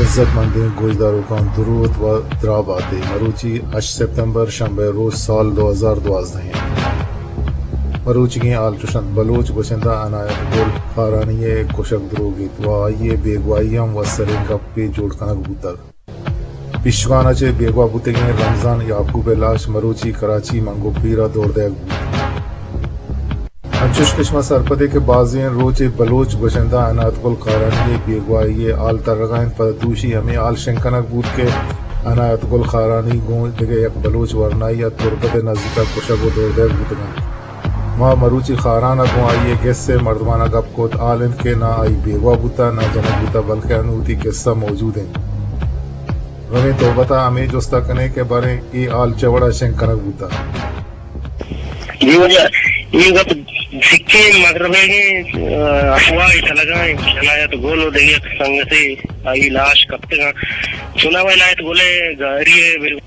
عزت مندیں گوشداروکاں دروت و دراہ باتے۔ مروچی ہشت سپتمبر، شنبہ روچ، سال دو ہزار دوازدہ انت۔ مروچیگیں حال چوش انت: بلوچ گوشندہ عنایت گل خارانی ء کشگ دروگ ات و آئی ء بیگواہی ہم وسریں گپے جوڑ کنگ بوتگ۔ پیشکان ء چہ بیگواہ بوتگیں رمضان یعقوب ء لاش مروچی کراچی منگو پیر ء دور دئیگ بوت۔ انچوش کہ شما سرپدے کہ بازیں روچے بلوچ گوشندہ عنایت گل خارانی ء بیگواہی ء حال ترگا انت، پدا دوشی ہمے حال شنگ کنگ بوت کہ عنایت گل خارانی گوں دگہ یک بلوچ ورنائی ء تربت ء نزیکا کشگ و دور دئیگ بوتگ انت۔ ما مروچی خاران ء گوں آئی ء گس ء مردماناں گپ کت، حال انت کہ نہ آئی بیگواہ بوتہ، نہ جنگ بوتہ، بلکہ انوں وتی گس ء موجود انت۔ رویں تربت ء ہمے جست ء کنیں کہ باریں اے حال چہ وڑ ء شنگ کنگ بوتہ۔ جی واجہ، اے گپ سکیں مغربیگیں، آ، افواہ چلگا انت۔ عنایت گل و دگہ یک سنگتے آئی لاش کپتگاں۔ چوناہا عنایت گل ء گاری ء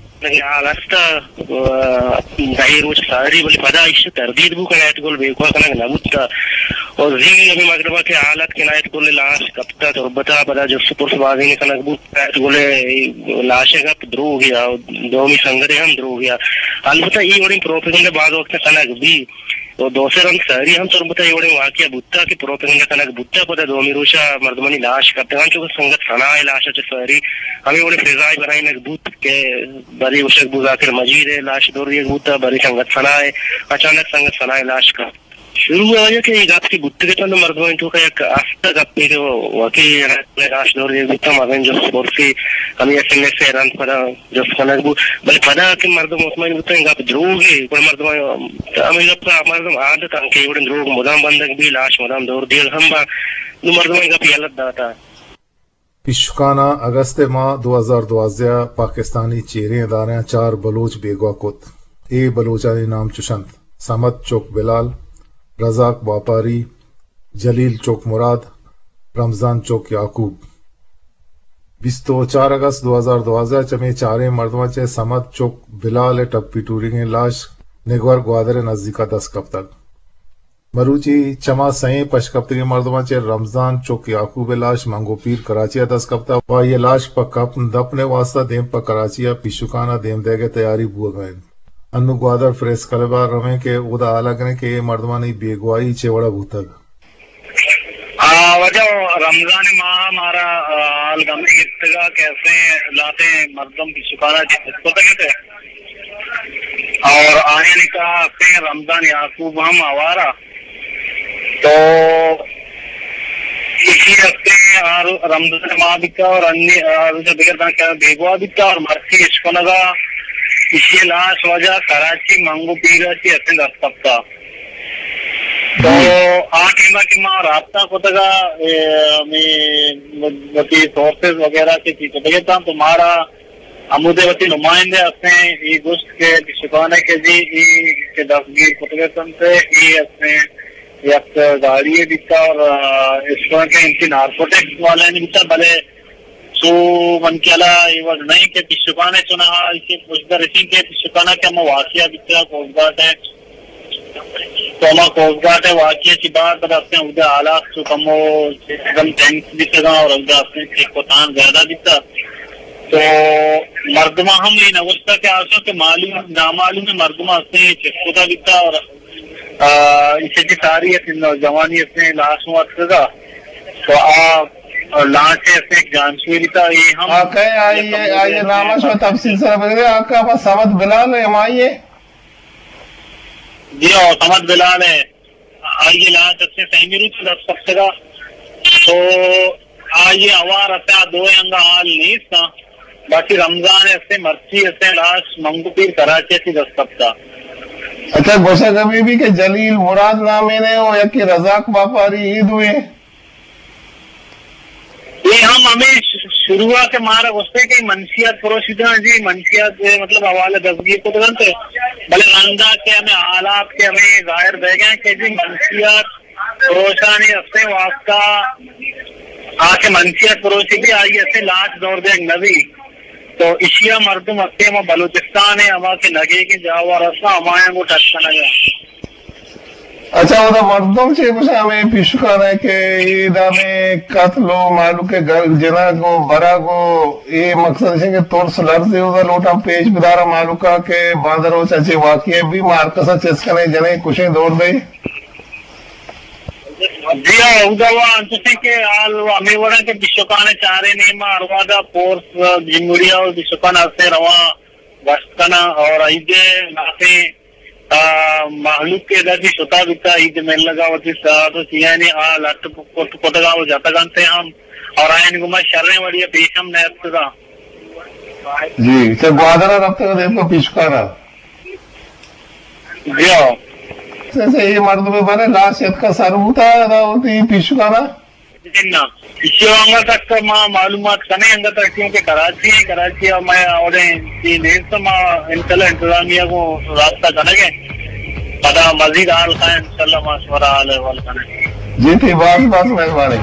حال است، آ، دہی روچ ساری، بلے پدا ایش تردید بو کہ عنایت گل بیگواہ کنگ نہ بوتا۔ و زی ہمے مغربا کہ حال ات کہ عنایت گل لاش کپتا تربتا، پدا جست پرس بازینے کنگ بوت، عنایت گل لاش گپ دروگیا، دومی سنگتے ہم دروگیا۔ البتہ اے وڑیں پروپیگنڈا باز وقت کنگ بی۔ و دو سے رند ساری ہم تربت ء اے وڑیں واقعہ بوتا کہ پروپیگنڈا کنگ بوتا، پدا دومی روچا مردمانی لاش کپتگاں، چو کہ سنگت ثنا ء لاش ء چہ ساری ہمے وڑیں فضائے بنائینگ بوت کہ برے گوشگ بوت ذاکر مجید ء لاش دور دیگ بوتا، برے سنگت ثنا ء، اچانک سنگت ثنا ء لاش کپت۔ شروع ء آیا کہ اے گپ کہ بوتگ ات، مردمانی توکا یک است گپے کہ واقعی لاش دور دیگ بوتا، مزن جست پرسی ہمے ایس ایم ایس ء رند پدا جست کنگ بوت، بلے پدا کہ مردم مطمئن بوتاں گپ دروگے، گڑا مردم ہمے گپ ء مردم عادت انت کہ اے وڑیں دروگ مدام بندگ بی، لاش مدام دور دیگ ہم با، نوں مردم گپ یلہ داتا۔ پیشکاناں اگست ء ماہ دو ہزار دوازدہ ء پاکستانی چیریں ادارہاں چار بلوچ بیگواہ کت۔ اے بلوچانی نام چوش انت: صمد چک بلال، رزاق واپاری، جلیل چک مراد، رمضان چک یعقوب۔ بیست و چار اگست دو ہزار دوازدہ چمے چاریں مردماں چہ صمد چک بلال ء ٹپی ٹوریگیں لاش نگور گوادر ء نزیکا دست کپتگ۔ مروچی چما سئیں پشکپتگیں مردماں چہ رمضان چک یعقوب ء لاش منگو پیر کراچی ء دست کپتگ و آئی ء لاش پہ کپن دپن ء واستہ دیم پہ کراچی ء پیشکان ء دیم دئیگ ء تیاری بوگ ء انت۔ انوں گوادر پریس کلب ء رویں کہ اودا ہال ء کنیں کہ اے مردمانی بیگواہی چے وڑ ء بوتگ۔ آ، واجہ، رمضان ماہ مارا، آ، حال گمے گپتگا کہ اسیں لاتیں مردم پیشکانا چہ چست کتگ ات اور آیانی تہا اسیں رمضان یعقوب ہم ہوارا۔ تو ایشی اسیں آ رو-، رمضان ماہ بیتا اور انی، آ، روچ دگر داں کہ بیگواہ بیتا اور مرچی اشکنگا ایشی لاش واجہ کراچی منگو پیرا چی اسیں دست کپتا۔ تو آ ٹائم ء کہ ما رابطہ کتگ ء، اے، ہمے وتی سورسز وغیرہ کہ چی کتگ اتاں، تو مارا ہمودے وتی نمائندے ہستیں، اے گوشت کہ پیشکان ء کہ جی اے کہ دستگیر کتگ اتنت، اے ہستیں یک گاڑی ء بیتا اور، آ، اس طرح کہ انتی نارکوٹکس والانی بیتا، بلے سو من کہ الا اے وڑ نہیں کہ پیشکان ء چوناہا ایشی پشدر اشیں کہ پیشکان ء کہ ہما واقعہ بیتا کوسٹ گارڈ ء تو ہما کوسٹ گارڈ ء واقعہ چی بعد پدا ہستیں اودا حالات چو کمو چیزم ٹینس بیتگاں اور اودا ہستیں چیک و تان زیادہ بیتا۔ تو مردماں ہم یہ نہ گوشتا کہ آسو کہ معلوم، نامعلوم مردماں ہستیں چیک کتا بیتا اور، آ، اسے کی ساری ہستیں نوجوانی ہستیں لاش ہوں اتکگا۔ تو آ، آ، لانچ ہستیں جانچوی بیتا، یہ ہم آ کئے آئی، آئی نام ء شما تفصیل سر بگرے، آ کہ پہ صمد بلال ء ہمائی ء؟ جی ہاں، صمد بلال ء۔ آئی ء لاش ہستیں سیمی روچ دست کپتگا۔ تو آئی ء ہوار ہستیں آ دوئیں انگا حال نیست آں۔ باقی رمضان ء ہستیں مرچی ہستیں لاش منگو پیر کراچی ء چی دست کپتا۔ اچھا، گوشگ ہمے بی کہ جلیل مراد نامے نے و یکے رزاق واپاری، اے دوئیں؟ اے ہم ہمے ش-، شروع ء کہ مارا گوشتے کہ منشیات پروشیدہ جی، منشیات، اے، مطلب، حوالہ دستگیر کتگ انت، بلے رندا کہ ہمے حالات کہ ہمے ظاہر بیگ ء کہ جی منشیات پروشانی ہستیں واسطہ آ کہ منشیات پروشی بی آئی ہستیں لاش دور دیگ نہ بی۔ تو اشیا مردم ہستیں ہما بلوچستان ء ہما کہ نگیگیں جاوار ہستاں ہمایاں گوں ٹچ کنگ ء۔ اچھا، اودا مردم چے گوشاں ہمے پیشکان ءَ کہ اے دابیں قتل و مہلوک ءِ گر-، جنگ و برگ و اے مقصد اش کہ ترس لرزے اودا لوٹاں پیش بداراں مہلوک ءَ کہ باندا روچ ءَ چے واقعہ بی، ما ہر کس ءَ چست کنیں، جنیں، کشیں، دور دئیں۔ جی ہاں، اودا وا انچوشیں کہ حال ہمے وڑا کہ پیشکان ءَ چاریں نیما ہر وہدا فورس جمہوریہ و پیشکان ہستیں رواں گشت کناں اور عید ءِ لافیں آ، مہلوک کہ ادا چہ شتا بیتا، عید ملگا وتی ساعت و چیانی آ لٹ کت کتگا و جتگ انت ہم، اور آیانی گوما شریں وڑی ءَ پیش ہم نیاتکگا۔ جی، چہ گوادر ءَ رفتگ ءَ دیمتر پیشکان ءَ۔ جی ہاں۔ سے، سے، اے مردم بارے لاش اتکا سر بوتا، ادا وتی پیشکان ءَ؟ نہ، ایشی ءَ انگت تک ما معلومات کنیں، انگت تک، کیونکہ کراچی ہیں، کراچی ءَ ما اوڑے چی نیست، ما انشاءاللہ انتظامیہ کو رابطہ کنگے، پدا مزید حال کا انشاءاللہ ما شمارا حال احوال کنیں۔ جی، تھی باز باز مہربانی۔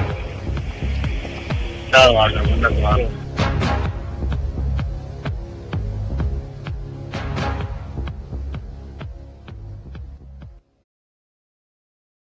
چلو، واجہ، منت وار۔